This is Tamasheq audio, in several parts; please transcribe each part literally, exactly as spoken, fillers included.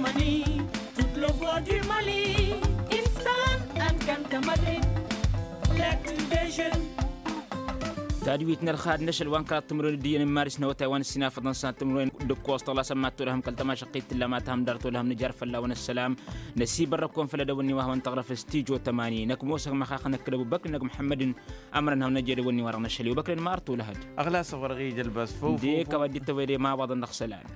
Mali, toute le voix du Mali. Istan, an kan tămădre. L'actu des jeunes. Tadwit n-ălxad n-ašăl wa n-kăraḍ timǝrwen d-iyyăn n-maris n-awătay wa n-ǝssinafăḍăn s-ad-timǝrwen d-ǝkkoẓ tăɣlasăn mad-tolăhăm kăl-tamašăqqit tǝlla ma tăhăm dar tolăhăm nǝjar fălla-wen ăssălam. Năsibărrăk-wen făll-edăwănni wa hawăn-tăɣrăf s-tijo tămani năkmosăg măxaxnăk d-ăbubăkri năk muḥămmădăn. Ămrăn hawăn-năj edăwănni wa dăɣ-năšăl i-obăkren ma ărtolăhăd. Ăɣlasăɣ wăr-ăɣ-ija ălbas făw. Ǝndek a-wa dd-tăwăyde ma ăwaḍăn dăɣ-isălan.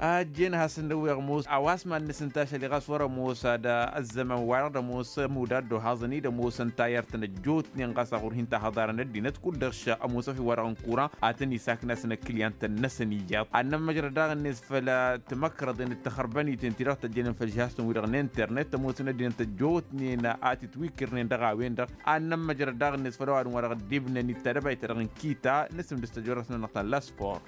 Ajjen has-ǝnnăwweɣ ămoos a-wa s-mad-nǝsǝnta ašăl-i ɣas wăr-ămoos ad-ăzzăman-wa-dăɣ d-ămoos ămudd ad-dd-ohaẓăn-dd ămoosăn tayărt n-ăjjootnen ɣas a ɣur-hin-tahăḍarăn ăddinăt kud-dăɣ š-ămoos a-fi-wa-dăɣ n-kuran. Ad-tăn-isaknasăn ăkkliyantăn-năsăn iyyăḍ ad-nămmăjrăd daɣ-net făll-timăkrăḍen d-taxărbăniten ti-dăɣ tăjjănen făll-žihastăn-wi-dăɣ n-internet ămoosăn ăddinăt ăjjootnen a t-itwǝkkǝrnen dăɣ-a-wen-dăɣ. Ad-nămmăjrăd daɣ-net făll-ăwadǝm wa dăɣ-ăddibnen i-dd-tadăbayt-ta-dăɣ n-kita n-asǝmdǝs tăjorăt-nănăɣ ta n-la sport.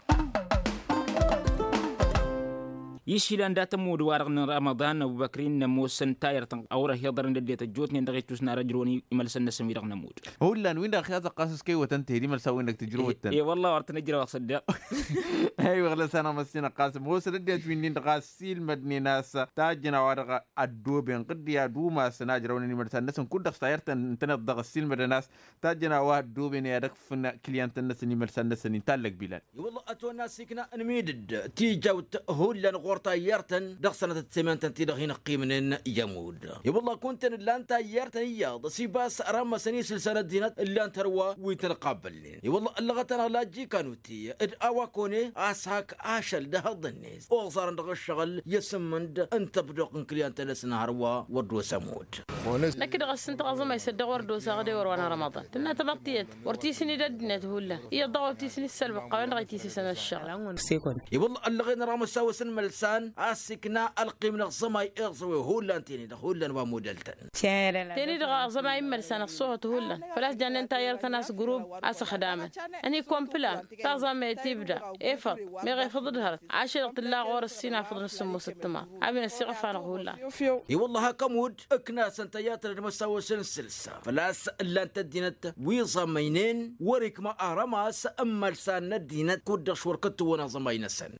Išilăn dat-ămudd wa-dăɣ n-rămăḍan ăbubăkrin n-ămoosăn tayărt a wăr-ăhiḍărăn d-ăddinăt ăjjootnen dăɣ-ittus n-arăjrăwăn imălsăn-năsăn wi-dăɣ n-ămudd. Hullan win-dăɣ ăxyazăɣ ɣas s-kăy-wătăn tehd imălsan-win-dăɣ tǝjrǝwăt-tăn. E-wălla wăr tăn-ǝjrăwăɣ s-ăddeɣ. Aywa ɣlăs-anăɣ măssinăɣ ɣas ămoosăn ăddinăt wi-nin-dăɣ a ăssiilmădnen a-s tajjăn a-wa-dăɣ ăddooben ɣǝddi ad-umasăn a ǝjrăwnen imălsan-năsăn kud-dăɣ s-tayărt ǝntăneḍ-dăɣ ăssiilmădăn a-s tajjăn a-wa ăddooben i-ad-ăkfǝn. Kǝlyantăn-năsăn imălsan-năsăn inta ăllăg bilal. I-wălla ătwănna asikna n-imidǝd tijawt hullan ɣur-tayyărt-tăn dăɣ-sănatăt semantăn-ti-dăɣ hin-ăqqimnen i-ămudd. I-wălla kunta n-ǝllan tayyărt n-iyyăḍ s-ibas rămmăsăn isǝlsan ăddinăt ǝllan-t hărwa wi tăn-ăqabălnen. I-wălla ăllăɣăt-anăɣ lajjikanuti d-a-wa kăwăne a-s hak ašăl d-ehăḍ-net oẓarăn dăɣ-ǝššăɣǝl i-asǝmmǝnd n-tăbdoɣt n-kǝlyantăn-năsăn hărwa wăr dd-osa ămudd. Năkk-dăɣ a-s ǝnta ɣaẓăm a isăddăɣ wăr dd-osaɣ d-ewăr wa n-rămăḍan tǝnna tamăḍt tiyyăt wăr t-isǝnid ăddinăt hullan iyyăḍ daɣ wăr t-isǝnid sălbăqqa-wen-dăɣ a itisǝsăn ăššăɣǝl. I-wălla ăllăɣen rămăsawăs n-imălsan a-s ikna ălqim n-aẓămay iẓăwe hullan tene-dăɣ hullan wa modăl-tăn. Tene-dăɣ aẓămay n-imălsan ăṣṣohăt hullan făl-a-s jannen tayyăr-tăn a-s grub a-s ăxdamăn ănikompǝla taẓamet ibda efăḍ meɣ efăḍ d-hărăt ašăl-dăɣ tǝlla ɣur-ăssinafăḍ n-asǝmmos d-timaḍ. A-wen ăssiɣăf-anăɣ hullan. I-wălla hak ămudd ǝknasăn tayyăr-tăn d-imăsawăs n-sǝlsa făl-a-s ǝllan-t ăddinăt wi ẓămăynen wăr-ikma arămas n-imălsan n-ăddinăt kud-dăɣ š-wăr kăt-tǝwwăn aẓămay-năsăn.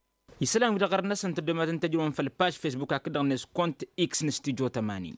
Isălan-wi-dăɣ ɣărăt-năsăn tăddomatăn tăjrăwăn făll-paž fesbuk hakd-dăɣ-net kont x n-stijo tămani.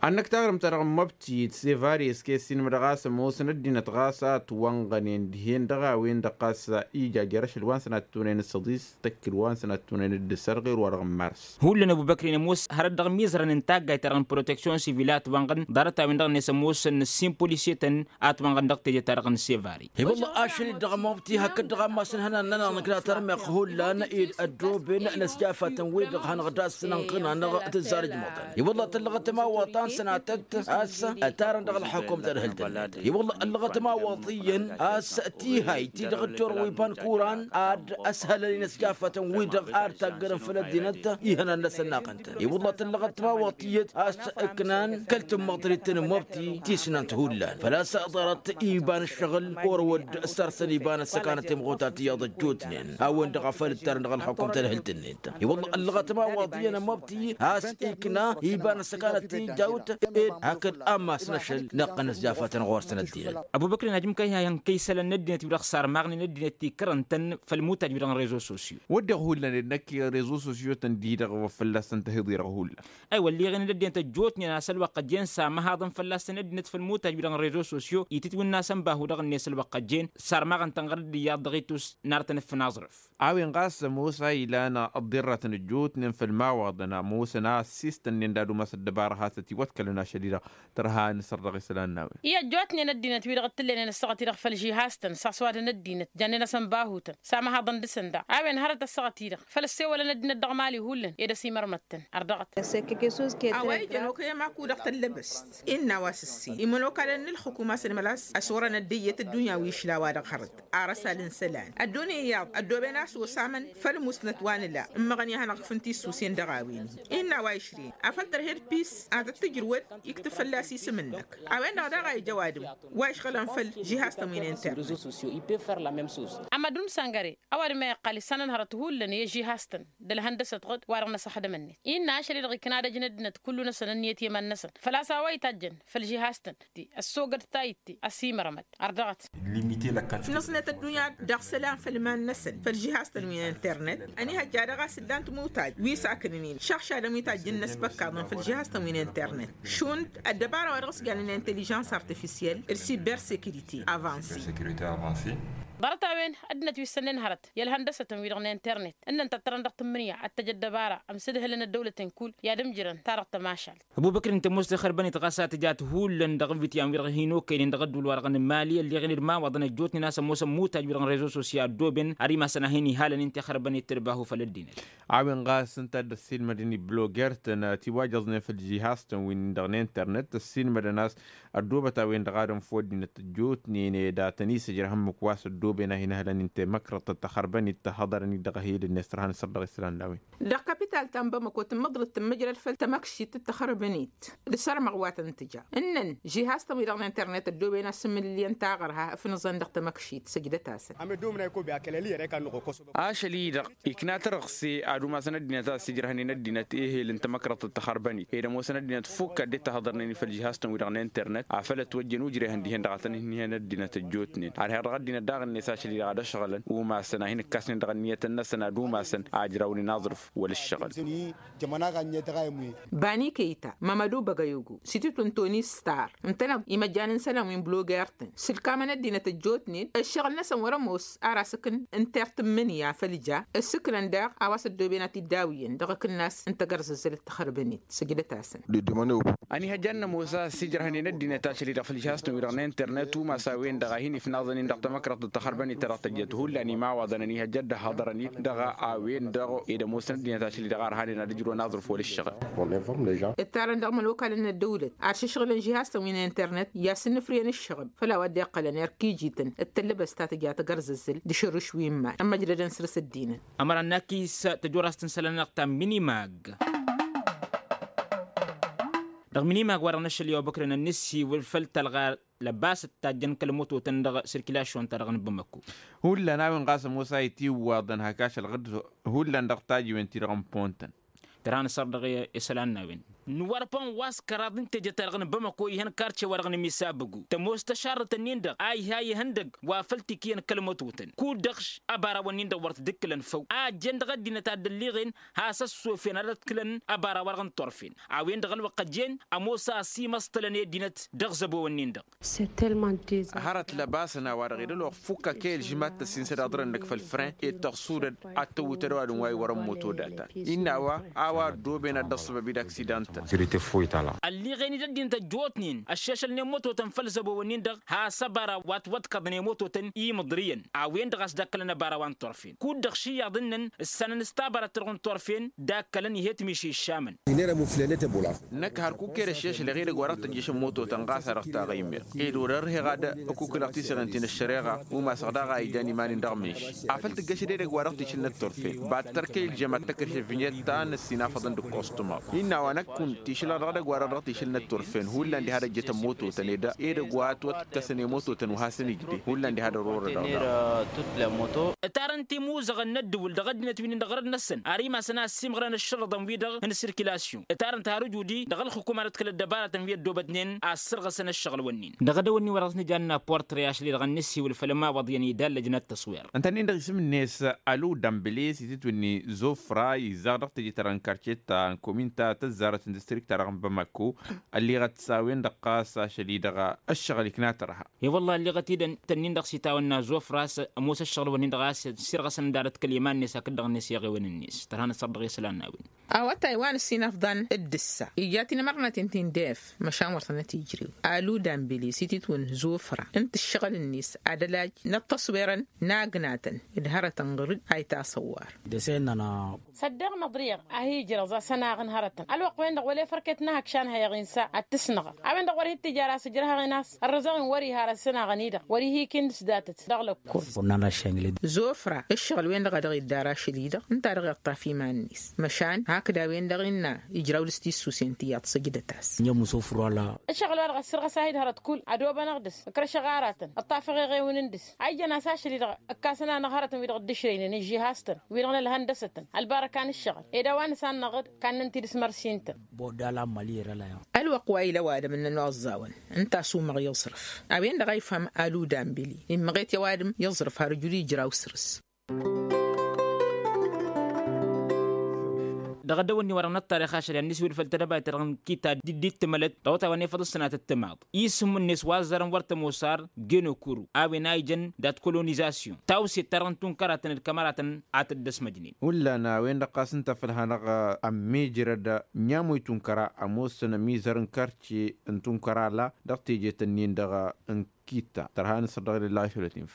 Ad-năkk taɣrǝmt-ta-dăɣ n-măbtiyǝd sevari s-kăy-ăssiinmădăɣ a-s ămoosăn ăddinăt ɣas a ătwănɣănen dihen dăɣ-a-wen-dăɣ ɣas ija jer-ašăl wa n-sănat tunen d-săḍis tăkkǝl wa n-sănat tunen d-sărɣer wa dăɣ-n mars. Hullan ăbubăkrin ămoos hărăt dăɣ-imizărăn n-taggayt-ta-dăɣ n-proteksyon sivil a ătwănɣăn ḍarăt-a-wen-dăɣ-net ămoosăn ǝssin polisye-tăn a ătwănɣăn dăɣ-teje-ta-dăɣ n-sevari. I-wălla ašăl-dd dăɣ-măbti hakd dăɣ-ammas n-ihănan-nănăɣ nǝkna tărmeɣ hullan ed ăddooben n-ăsjafătăn-wi-dăɣ hanăɣ-dd-a-s nǝnɣǝn-anăɣ tǝzzarǝj măḍăn. I-wălla tăllăɣăt ămawaḍ ta n-sănatăt a-s ătarăn dăɣ-ălxăkum tărhǝlt-net. I-wălla ăllăɣăt ămawaḍ iyyăn a-s tihayt ti-dăɣ dd-turǝw iba n-kuran ad-ăshălălin ăsjafătăn-wi-dăɣ ar taggărăn făll-ăddinăt ihănan-năsăn naɣăn-tăn. I-wălla tăllăɣăt ămawaḍ tiyyăt a-s ǝknan kăl-tǝmmăḍrit n-măbti tisnant hullan făl-a-s ḍarăt iba n-ǝššăɣǝl orăwăd ăssărsăn iba n-ăssăkanăt timɣutar tiyyăḍ ăjjootnen a-wen-dăɣ a făl ǝttarăn dăɣ-ălxukum tărhǝlt-net. I-wălla ăllăɣăt ămawaḍ iyyăn n-măbti a-s ikna iba n-ăssăkanăt tijawt ed hakd ammas n-ašăl năqqăn ăsjafătăn ɣur-săn ăddinăt. Ăbubăkr n-ajǝm kăy-ha ihăn kăy-isălan n-ăddinăt-wi-dăɣ sarmaɣnen ăddinăt tikrăn-tăn făll-imutaj-wi-dăɣ n-rezo sosyo. Wădden hullan ed năkk rezo sosyo-tăn-di-dăɣ wa fălla-săn tăhiḍ-i-dăɣ hullan. Aywa ălliɣen d-ăddinăt ăjjootnen a-s ălwăqq ăjjeen samăhaḍăn fălla-săn ăddinăt făll-imutaj-wi-dăɣ n-rezo sosyo itǝtwǝnna s-ănba hu-dăɣ-net ălwăqq ăjjeen sarmaɣăn-tăn ɣărăt d-iyyăḍ dăɣ-itus n-arătăn ǝffǝn aẓrǝf. A-wen ɣas ămoos a ilan ăḍḍirratăn ăjjootnen făll-imawaḍăn ămoosăn a ăssiistănnen d-ad-umas ăddăbara has-ătiwăḍkălăn ašăl-i-dăɣ tărha a nǝsăr dăɣ-isălan n-a-wen. I-ăjjootnen ăddinăt-wi-dăɣ t-tǝllăynen ăssaɣăt-i-dăɣ făll-žihaz-tăn s-aswadăn ăddinăt jannen-asăn bahutăn samăhaḍăn dăɣ-săn daɣ a-wen hărăt ăssaɣăt-i-dăɣ făll-ăssewălăn ăddinăt dăɣ-mali hullan ed ăsimărmăttăn. Ărdăɣăt. A-wa ijăn okăy ămakudăɣ tăllăbăst innă a-wa s-ǝssin imănokalăn n-ǝlxǝkum a-s ănmălas ăsorăn ăddăyyăt ăddunya wi išla a-wa-dăɣ hărăt. Ar ăsal n-isălan ăddonen iyyăḍ ăddooben a-s osămăn făll-musnăt wa nǝla ǝmmăɣăn i-ad-hanăɣ-ǝkfǝn tisusen dăɣ-a-wen-hi. Innă a-wa išrin afăl tărhed pis ad-tăt-tǝjj ǝjrǝwăd iktǝb fălla-s isǝm-năk. A-wen-dăɣ daɣ a ija ăwadǝm wa išɣălăn făll-žihaz-tăn wi n-internet. Ămadum sangăre ăwadǝm a iqqal issanăn hărăt hullan i-žihaz-tăn d-ălhăndăsăt ɣǝd wa-dăɣ n-asăxdăm-net innă ašăl-i-dăɣ ikna ad-ăjnăd-năt kullu-năsăn ǝnniyăt i-iman-năsăn făl-a-s a-wa itajjăn făll-žihaz-tăn. Ti ăssogăd tayǝtte ăsimărămăt ardăɣăt. Nǝsnăt ăddunya dăɣ-isălan făll-iman-năsăn făll-žihaz-tăn wi n-internet. Ănihăjja dăɣ-a-s ǝllan timutaj wi s-akǝnǝn-in šăɣšadăn wi tajjǝn n-asbăkkaḍăn făll-žihaz-tăn wi n-internet. Šund ăddăbara wa dăɣ-s jannen inteližans artifisyel d-sibersekirite avanse. Ḍarăt-a-wen ăddinăt wi s-sănnen hărăt i-ălhăndăsătăn-wi-dăɣ n-internet ǝnnăn tăttărăn dăɣ-tǝmmǝnǝya ad-tăj ăddăbara ămsǝdhǝlăn ăddăwlăten kull i-ad-ămjărăn ta dăɣ-tămašalt. Ăbubăkr ǝnta ămoos taxărbănet ɣas a tǝjat hullan dăɣ-ǝnvǝtyan-wi-dăɣ hin-okăynen dăɣ-ădduul-wa-dăɣ n-mali ălleɣen d-imawaḍăn ăjjootnen a-s ămoosăn mutaj-wi-dăɣ n-rezo sosya ăddooben ar imasăn a hin-ihalănen taxărbănet tǝrbahu făll-ăddinăt. A-wen ɣas ǝnta a dd-ăssiilmădăn i-bloger-tăn tiwajăẓnen făll-žihaz-tăn-win-dăɣ n-internet ăssiilmădăn a-s ăddoobăt a-wen-dăɣ ad-ănf wăddinăt ăjjootnen ed a tăn-isǝjrăh ǝmmǝk wa s-ăddooben a hin-ǝhlăn-in temăkrăḍt tăxărbănit tăhhăḍărăn-dd dăɣ-ehel-net tărha n-asăr dăɣ-isălan n-a-wen. Dăɣ-kapital ta n-bamăko tǝmmăḍrăt tǝmmǝjrăd făll-tamăkšit d-taxărbănit d-sărmăɣ wa tăn-tǝja ǝnnăn žihaz-tăn-wi-dăɣ n-internet ăddooben a-s sǝmmǝlǝlyen taɣărha ǝfnǝẓăn dăɣ-tamăkšit săjdăt-asăn. Ašăl-i-dăɣ ikna tărăɣse ad-umasăn ăddinăt a ăssijrăhnen ăddinăt ehel n-tamăkrăḍt d-taxărbănit ed ămoosăn ăddinăt fukk ad-dd-tahăḍărnen-i făll-žihaz-tăn-wi-dăɣ n-internet afăl ătwăjjăn ujrehăn dihen dăɣ-a tăn-ǝnnihăn ăddinăt ăjjootnen ad-her-dăɣ ăddinăt daɣ-net ašăl-i-dăɣ ad-ăšɣălăn umasăn a hin-ǝkkasnen dăɣ-ǝnniyătăn-năsăn ad-umasăn a ǝjrawnen aẓrǝf wăla ǝššăɣǝl. Bani kăyta mămădu băgăyugu s-itǝtwǝn toni star ǝntăneḍ imăjjan n-isălan wi n-bloger-tăn sǝlkamăn ăddinăt ăjjootnen ǝššăɣǝl-năsăn wăr-ămoos ar asǝkǝn n-tertǝmmǝnǝya făll-ja ǝssǝknăn daɣ a-wa s-ăddooben ad-t-dd-awǝyăn dăɣ-akǝnnas n-tagărzăzzălăt taxărbănit. Săjdăt-asăn. Ănihăjja ad-nămoos a ăssiijrăhnen ăddinăt ašăl-i-dăɣ făll-žihaz-tăn-wi-dăɣ n-internet umas a-wen-dăɣ a hin-ifnaẓăn-in dăɣ-tamăkrăḍt d-taxărbănit ta dăɣ-tăjjăt hullan imawaḍăn ănihăjja ad-dd-ăhhăḍărăn-dd dăɣ-a a-wen-dăɣ ed ămoosăn ăddinăt ašăl-i-dăɣ a ărhanen ad-ǝjrǝwăn aẓrǝf wăla ǝššăɣǝl. Ǝttarăn dăɣ-imănokalăn n-ăddăwlăt ad-šǝšɣǝlăn žihaz-tăn wi n-internet i-ad-sǝnnǝfrǝyăn ǝššăɣǝb făll-a-wa dd-iqqălăn erk ijităn d-tăllăbăst ta tǝja tagărzăzzăl d-ašărrǝš wi n-iman ămmăjdădăn săr-s ăddinăn. Ămăra n-akis tăjorast n-isălan-năɣ ta n-minimag. Dăɣ-minimag wa dăɣ-năššăl i-obăkrăn ănnăssiwǝl făll-tălɣa lăbas d-tajjăn kăl-mototăn dăɣ-sirkilašyon-ta-dăɣ n-bamăko. Hullan a-wen ɣas ămoos a itiwwaḍăn hak ašăl ɣǝd hullan dăɣ-tajiwen-ti-dăɣ n-pon-tăn. Tărha n-asăr dăɣ-isălan n-a-wen. N-wăr pon wa s-kăraḍ n-teje-ta-dăɣ n-bamăko ihăn karce-wa-dăɣ n-emisabbǝgu tămoos tašarrăt-nin-dăɣ a iha ihăndăgg wa făl tikǝyăn kăl-mătotăn kud-dăɣ š-ăbarawăn-nin-dăɣ wăr t-dd-ǝkkǝlăn făw a ăjjeen dăɣ-ăddinăt ad-dd-ălliɣen has-ăssofyăn ad-ăḍkǝlăn ăbaraw-wa-dăɣ n-turfen. A-wen-dăɣ ălwăqq ăjjeen ămoos a ăsimăṣṭălăn i-ăddinăt dăɣ-zăbo-wăn-nin-dăɣ. Hărăt lăbasăn a-wa-dăɣ ed ălwăqq fukk ăkăy ălžǝmat tăssin s-ădaḍărăn-năk făll-fren ed tăɣsudăd ad-tăwwǝtăd ăwadǝm wa iwărăn moto data innă a-wa a-wa ăddooben ad-dd-ăṣṣăbăb-dd aksidan-tăn. Ălliɣen-dd ăddinăt ăjjootnen ăššešălnen mototăn făll-zăbo-wăn-nin-dăɣ has-ăbaraw wa t-wăḍkăḍnen mototăn imǝḍrǝyăn a-wen-dăɣ a-s dd-ăkkălăn ăbaraw wa n-turfen kud-dăɣ šiyyăḍ ǝnnăn ǝssanăn s-tabărăt-ta-dăɣ n-turfen dd-akkălăn ih'-e tǝmiši iššamăn. Năkk hărkuk ed ăššešăleɣ edăgg wa dăɣ-tăjjăšăn mototăn ɣas a dăɣ-taɣăymeɣ ed wăr-ărheɣ ad-ăkukǝlăɣ tiseɣen ti n-ăššăreɣa umasăɣ daɣ a ijan iman-in dăɣ-meš. Afăl tǝggăšăd edăgg wa dăɣ-tišǝl n-ătturfen bad-tărkăy ǝlžăm ad-tăkrǝš ăvinyăt ta n-ăssinafăḍăn d-ǝkkoṣtǝmăɣ. Innă a-wa năkk kunta išǝl-a-dăɣ edăgg wa dăɣ-tišǝl n-ătturfen hullan diha d-ăjjătăn mototăn ed edăgg wa ătwătkăsăn i-mototăn wa hasăn-ij de hullan diha d-ărorădăɣ. Ǝtarăn timuzăɣăn n-ăddǝwǝl dăɣ-ăddinăt wi n-indăɣ răd-năsăn ar imasăn a ăssiimɣărăn ǝššărrăḍăn-wi-dăɣ n-sirkilasyon ǝtarăn-t har ǝjudi dăɣ-ălxǝkum ad-ăḍkăl ăddăbarătăn wi ăddoobătnen a ăssărɣăsăn ăššăɣǝl-wǝnnin. Dăɣ-edăwănni wa dăɣ-s nǝjanna portre ašăl-i-dăɣ ănnisǝwǝl făll-ămawăḍ iyyăn idallăjnăt tăṣwer. Ǝntănnin-dăɣ isǝm-net alu dambele s-itǝtwǝn n-zofra izzaɣ dăɣ-teje-ta-dăɣ n-karcet ta n-komin ta tăzzarăt n-distrikt-ta-dăɣ n-bamako. Ălliɣăt s-a-wen-dăɣ ɣas ašăl-i-dăɣ ăššăɣǝl ikna tărha. E-wălla ălliɣăt-dd ǝntănnin-dăɣ s-itawănna zofra a-s ămoos ăššăɣǝl-wǝnnin-dăɣ a-s sirɣăsăn ădarăt kăl-iman-net hakd-dăɣ-net i-iɣewăn-net tărha n-asăr dăɣ-isălan n-a-wen. A-wa taywan ǝssinafḍan d-ǝssa iyyăt inămărnăten ti n-def măšan wăr tănăt-ijrew. Alu dambili s-ititwǝn zofra ǝnta ǝššăɣǝl-net ad-ălaj n-ăṭṭăṣwerăn n-agnatăn d-hărătăn ɣǝr-dd a itasăwwar. Săddeɣ măḍriɣ a hi-ijrăẓ a-s ănaɣ n-hărătăn ălwăqq-wen-dăɣ. wăla efărket n-ahăkša n-hăyăɣ insa ad-t-ǝsnăɣăɣ. A-wen-dăɣ wăr hi-t-ija ar asǝjrăhăɣ-in a-s ărrăzăɣ-in wăr-iha ar ăssanăɣăn-i-dăɣ wăr-ihi-kin d-s datăt dăɣ-lăkkol. Zofra ǝššăɣǝl-wen-dăɣ a dăɣ-idda ar ašăl-i-dăɣ ǝnta a dăɣ-iṭṭaf iman-net măšan hakd a-wen-dăɣ innă ijraw dăɣ-s tissusen ti iyyăḍ săjdăt-as. Ǝnjăm n-sofra la. Ǝššăɣǝl-wa-dăɣ ăssărɣăs-ahǝd hărăt kull ădobănăɣ dăr-s ǝkrăšăɣ aratăn ǝṭṭafăɣ eɣewǝn n-dăr-s a ijjăn a-s ašăl-i-dăɣ ǝkkasăn-anăɣ hărătăn wi-dăɣ dd-ǝšrăynen ǝžžihastăn wi-dăɣ n-ălhăndăsătăn ălbarăka n-ǝššăɣǝl ed a-wa nǝsannăɣ-dd kannăn-t-dd s-mărsin-tăn. Boda la mali era la ya. Ălwăqq wa ila ăwadǝm ǝnnăn oẓẓawăn ǝnta a-s umăɣ i-aẓrǝf a-wen-dăɣ a ifhăm aluda n-bili immăɣet i-ăwadǝm i-aẓrǝf har ǝjud ijraw săr-s. Dăɣ-ăddăwănni-wa-dăɣ n-ăṭṭarix ašăl i-ad-nǝswǝd făll-tedăbayt-ta-dăɣ n-kita d-dd-tǝmălăt dăɣ-otay wa n-efăḍ ǝssănatăt timaḍ isǝm-net wa ăzzarăn wăr tămoos ar genokuru a-wen a ijăn dat-kolonizasyon tawset-ta-dăɣ n-tunkăratăn d-kămăratăn a tăddăsmăjnen. Hullan a-wen-dăɣ ɣas ǝnta făll-hanăɣ ămmijrăd n-i-amoy tunkăra ămoosăn ămizăr n-kărce n-tunkăra la dăɣ-tejet-nin-dăɣ n-kita tărha n-asăr dăɣ-ilălla ašăl-ătinf.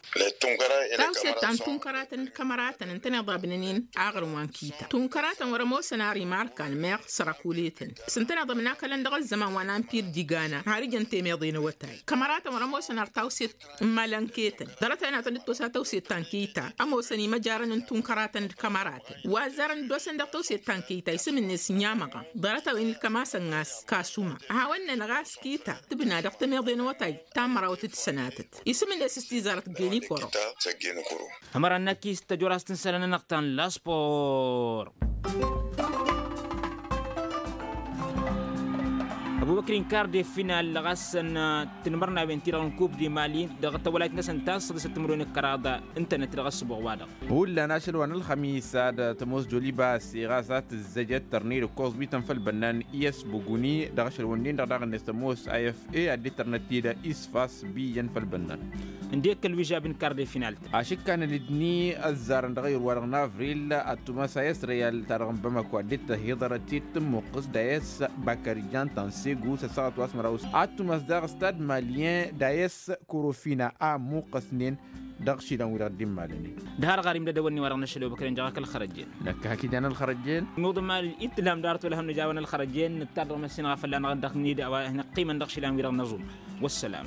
Tawset ta n-tunkăratăn d-kămăratăn ǝntăneḍ abnănen aɣrǝm wa n-kita tunkăratăn wăr-ămoosăn ar imarkan meɣ sărăkuletăn s-ǝntăneḍ ămnakălăn dăɣ-ăzzăman wa n-ampir d-igana har ijăn temeḍe n-awătay. Kămăratăn wăr-ămoosăn ar tawset n-imălănketăn ḍarăt-a-wen ad-tăn-dd-tosa tawset ta n-kita ămoosăn imăjarăn n-tunkăratăn d-kămăratăn wa ăzzarăn dd-osăn dăɣ-tawset ta n-kita isǝm-net n-i-amăɣa. Ḍarăt-a-wen ilkăm-asăn ɣas kasuma a hawăn-nănăɣ a-s kita tǝbna dăɣ-temeḍe n-awătay ta n-mărawăt d-sănatăt isǝm-net s-tizarăt genikoro. Ămăra n-akis tăjorast n-isălan-nănăɣ ta n-laspor. Ăbubăkri n-kar de final ɣas n-tinmărnawen ti-dăɣ n-kub de mali dăɣ-tawălayt-năsăn ta n-săḍisăt timǝrwen d-kăraḍ ǝntănăt dăɣ-ăssǝbuɣ-wa-dăɣ. Hullan ašăl wa n-ălxămis ad-tămoos joliba a-s iɣas ad-tǝzzăjăt tărni d-ǝkkoẓ wi tăn-făll bănnan i-s buguni dăɣ-ašăl wănnin-dăɣ daɣ-net tămoos a f a ad-dd-tărnăt-dd isfas. Biyyăn făll-bănnan. Ǝndek ălwižab n-kar de final-tăn. Ašǝkkan ălidni ăzzarăn dăɣ-ayǝr-wa-dăɣ n-avril ad-tumas a s-reyal-ta-dăɣ n-bamako ad-dd-tăhiḍărăt-dd tǝmmuqqǝs d-a s-bakarijan ta n-segu s-ăssaɣăt wa s-măraw s-ad-tumas daɣ stad malyen d-a s-korofina a ămmuqqăsnen dăɣ-išilan-wi-dăɣ dd-immalănen. D-har ɣarim d-edăwănni-wa-dăɣ n-ašăl obăkăren jăɣ-ak ălxărăjjen. Năkk hak ijan ălxărăjjen. Nuḍǝm al-itlam d-arăt wăla hănnăj a-wen ălxărăjjen nǝttar dăɣ-măssin ɣa fălla-năɣ dăɣ-nid a-wa năqqimăn dăɣ-išilan-wi-dăɣ n-aẓum. Wăssălam.